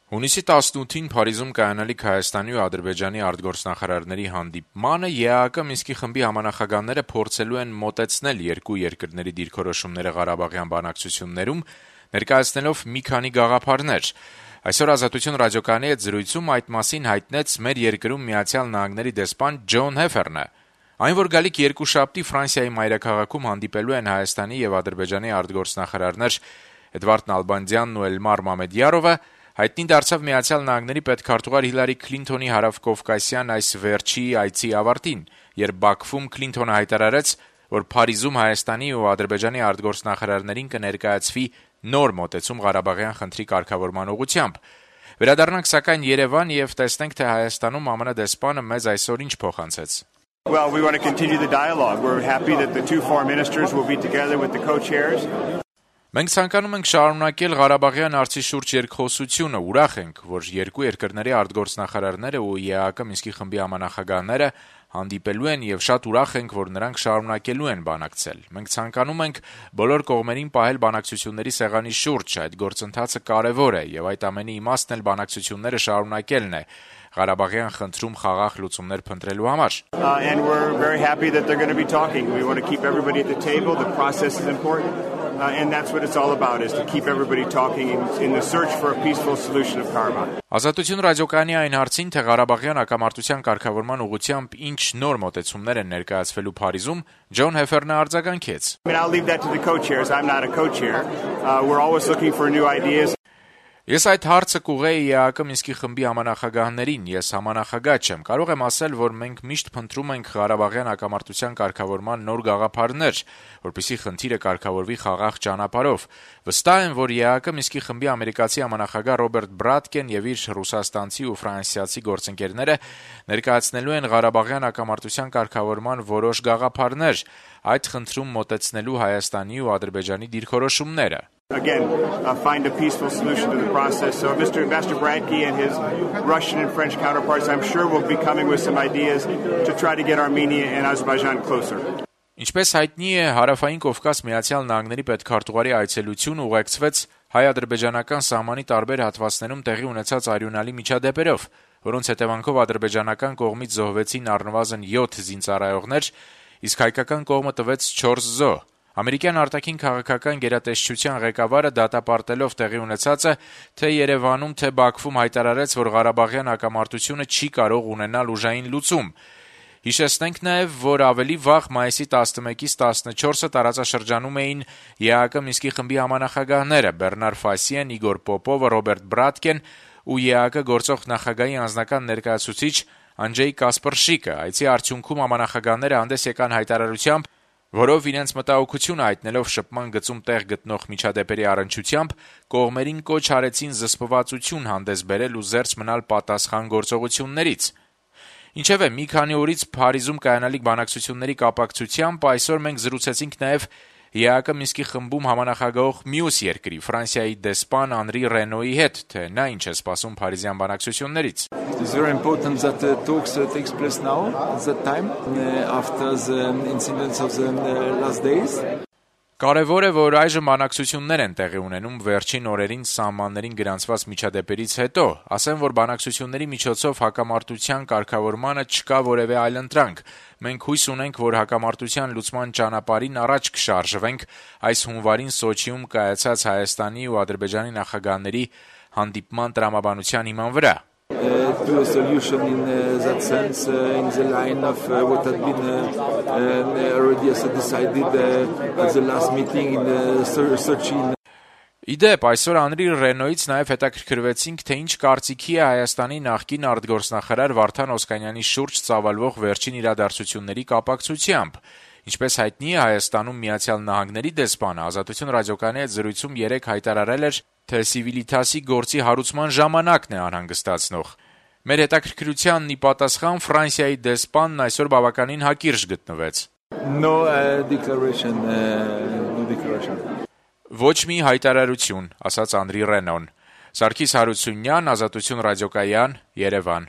Հունիսի 18-ին Փարիզում կայանալիք Հայաստանի ու Ադրբեջանի արտգործնախարարների հանդիպմանը ԵԱՀԿ Մինսկի խմբի համանախագահները փորձելու են մոտեցնել երկու երկրների դիրքորոշումները Ղարաբաղյան բանակցություններում, ներկայացնելով մի քանի գաղափարներ։ Այսօր Ազատություն ռադիոկայանի հետ զրույցում այդ մասին հայտնեց մեր երկրում Միացյալ Նահանգների դեսպան Ջոն Հեֆերնը։ Այն, որ գալիք երկուշաբթի Ֆրանսիայի մայրաքաղաքում հանդիպելու են Հայաստանի եւ Ադրբեջանի արտգործնախարարներ Էդվարդ Նալբանդյանն ու Էլմար Մամեդյարովը, հայտնի դարձավ Միացյալ Նահանգների պետքարտուղար Հիլարի Քլինթոնի հարավկովկասյան այս վերջի այցի ավարտին, երբ Բաքվում Քլինթոնը հայտարարեց, որ Փարիզում Հայաստանի ու Ադրբեջանի արտգործնախարարներին կներկայացվի նոր մոտեցում Ղարաբաղյան խնդրի կարգավորման ուղղությամբ։ Վերադառնանք սակայն Երևան եւ տեսնենք, թե Հայաստանում ԱՄՆ դեսպանը մեզ այսօր ինչ փոխանցեց։ Well, we want to continue the dialogue. We're happy that the two foreign ministers will be together with the co-chairs. Մենք ցանկանում ենք շարունակել Ղարաբաղյան հարցի շուրջ երկխոսությունը, ուրախ ենք, որ երկու երկրների արտգործնախարարները ու ԵԱՀԿ Մինսկի խմբի համանախագահները հանդիպելու են եւ շատ ուրախ ենք, որ նրանք շարունակելու են բանակցել։ Մենք ցանկանում ենք բոլոր կողմերին պահել բանակցությունների սեղանի շուրջ, այդ գործընթացը կարեւոր է եւ այդ ամենի իմաստն էլ բանակցությունները շարունակելն է Ղարաբաղյան խնդրում խաղաղ լուծումներ փնտրելու համար։ And we're very happy that they're going to be talking. We want to keep everybody at the table. The process is important. And that's what it's all about, is to keep everybody talking in the search for a peaceful solution of Karabakh. Ազատություն ռադիոկայանի այն հարցին, թե Ղարաբաղյան հակամարտության կարգավորման ուղղությամբ ինչ նոր մոտեցումներ են ներկայացվելու Փարիզում, Ջոն Հեֆերնը արձագանքեց. I'll leave that to the co-chairs. I'm not a co-chair. We're always looking for new ideas. Ես այդ հարցը կուղեի ԵԱՀԿ Մինսկի խմբի համանախագահներին, ես համանախագահ չեմ, կարող եմ ասել, որ մենք միշտ փնտրում ենք Ղարաբաղյան հակամարտության կարգավորման նոր գաղափարներ, որպեսզի խնդիրը կարգավորվի խաղաղ ճանապարհով։ Վստահ եմ, որ ԵԱՀԿ Մինսկի խմբի ամերիկացի համանախագահ Ռոբերտ Բրատկեն եւ իր ռուսաստանցի ու ֆրանսիացի գործընկերները ներկայացնելու են Ղարաբաղյան հակամարտության կարգավորման որոշ գաղափարներ, այդ խնդրում մոտեցնելու Հայաստանի ու Ադրբեջանի դիրքորոշումները։ Again, find a peaceful solution to the process. So Mr. Bradke and his Russian and French counterparts, I'm sure, will be coming with some ideas to try to get Armenia and Azerbaijan closer. Ինչպես հայտնի է, Հարավային Կովկաս Միացյալ Նահանգների պետքարտուղարի այցելությունը ուղեկցվեց հայ-ադրբեջանական սահմանի տարբեր հատվածներում տեղի ունեցած արյունալի միջադեպերով, որոնց հետևանքով ադրբեջանական կողմից զոհվեցին առնվազն 7 զինծառայողներ, իսկ հայկական կողմը տվեց 4 զոհ։ Ամերիկյան արտաքին քաղաքական գերատեսչության ղեկավարը դատապարտելով տեղի ունեցածը թե Երևանում, թե Բաքվում հայտարարեց, որ Ղարաբաղյան հակամարտությունը չի կարող ունենալ ուժային լուծում։ Հիշեցնենք նաև, որ ավելի վաղ մայիսի 11-ից 14-ը տարածաշրջանում էին ԵԱՀԿ Մինսկի խմբի համանախագահները Բեռնար Ֆասիեն, Իգոր Պոպովը, Ռոբերտ Բրատկեն ու ԵԱՀԿ գործող նախագահի անձնական ներկայացուցիչ Անջեյ Կասպրշիկը։ Այցի արդյունքում համանախագահները հանդես եկան հայտարարությամբ, որով իրենց մտահոգությունը հայտնելով շփման գծում տեղ գտնող միջադեպերի առնչությամբ կողմերին կոչ արեցին զսպվածություն հանդես բերել ու զերծ մնալ պատասխան գործողություններից։ Ինչևէ, մի քանի օրից Փարիզում կայանալիք բանակցությունների կապակցությամբ այսօր մենք զրուցեցինք նաև ԵԱՀԿ Մինսկի խմբում համանախագահող մյուս երկրի Ֆրանսիայի դեսպան Անրի Ռենոյի հետ, թե նա ինչ է սպասում փարիզյան բանակցություններից։ It's very important that the talks takes place now, at that time, after the incidents of the last days. Կարևոր է, որ այժմ բանակցություններ են տեղի ունենում վերջին օրերին սահմաններին գրանցված միջադեպերից հետո, ասեմ, որ բանակցությունների միջոցով հակամարտության կարգավորմանը չկա որևէ այլընտրանք։ Մենք հույս ունենք, որ հակամարտության լուծման ճանապարհին առաջ կշարժվենք այս հունվարին Սոչիում կայացած Հայաստանի ու Ադրբեջանի նախագահների հանդիպման տրամաբանության հիման վրա։ To a solution in that sense, in the line of what had been already decided at the last meeting in Sochi. Իդեպ, այսօր Անրի Ռենոյից նաև հետաքրքրվեցինք, թե ինչ կարծիքի է Հայաստանի նախկին արտգործնախարար Վարդան Օսկանյանի շուրջ ծավալվող վերջին իրադարձությունների կապակցությամբ։ Ինչպես հայտնի է, Հայաստանում Միացյալ Նահանգների դեսպանը Ազատություն ռադիոկայանի հետ զրույցում 3 հայտարարել էր, թե Սիվիլիտասի գործի հարուցման ժամանակն է անհանգստացնող։ Մեր հետաքրքրությանն ի պատասխան Ֆրանսիայի դեսպանն այսօր բավականին հակիրճ գտնվեց։ No declaration. Ոչ մի հայտարարություն, ասաց Անրի Ռենոն։ Սարգիս Հարությունյան, Ազատություն ռադիոկայան, Երևան։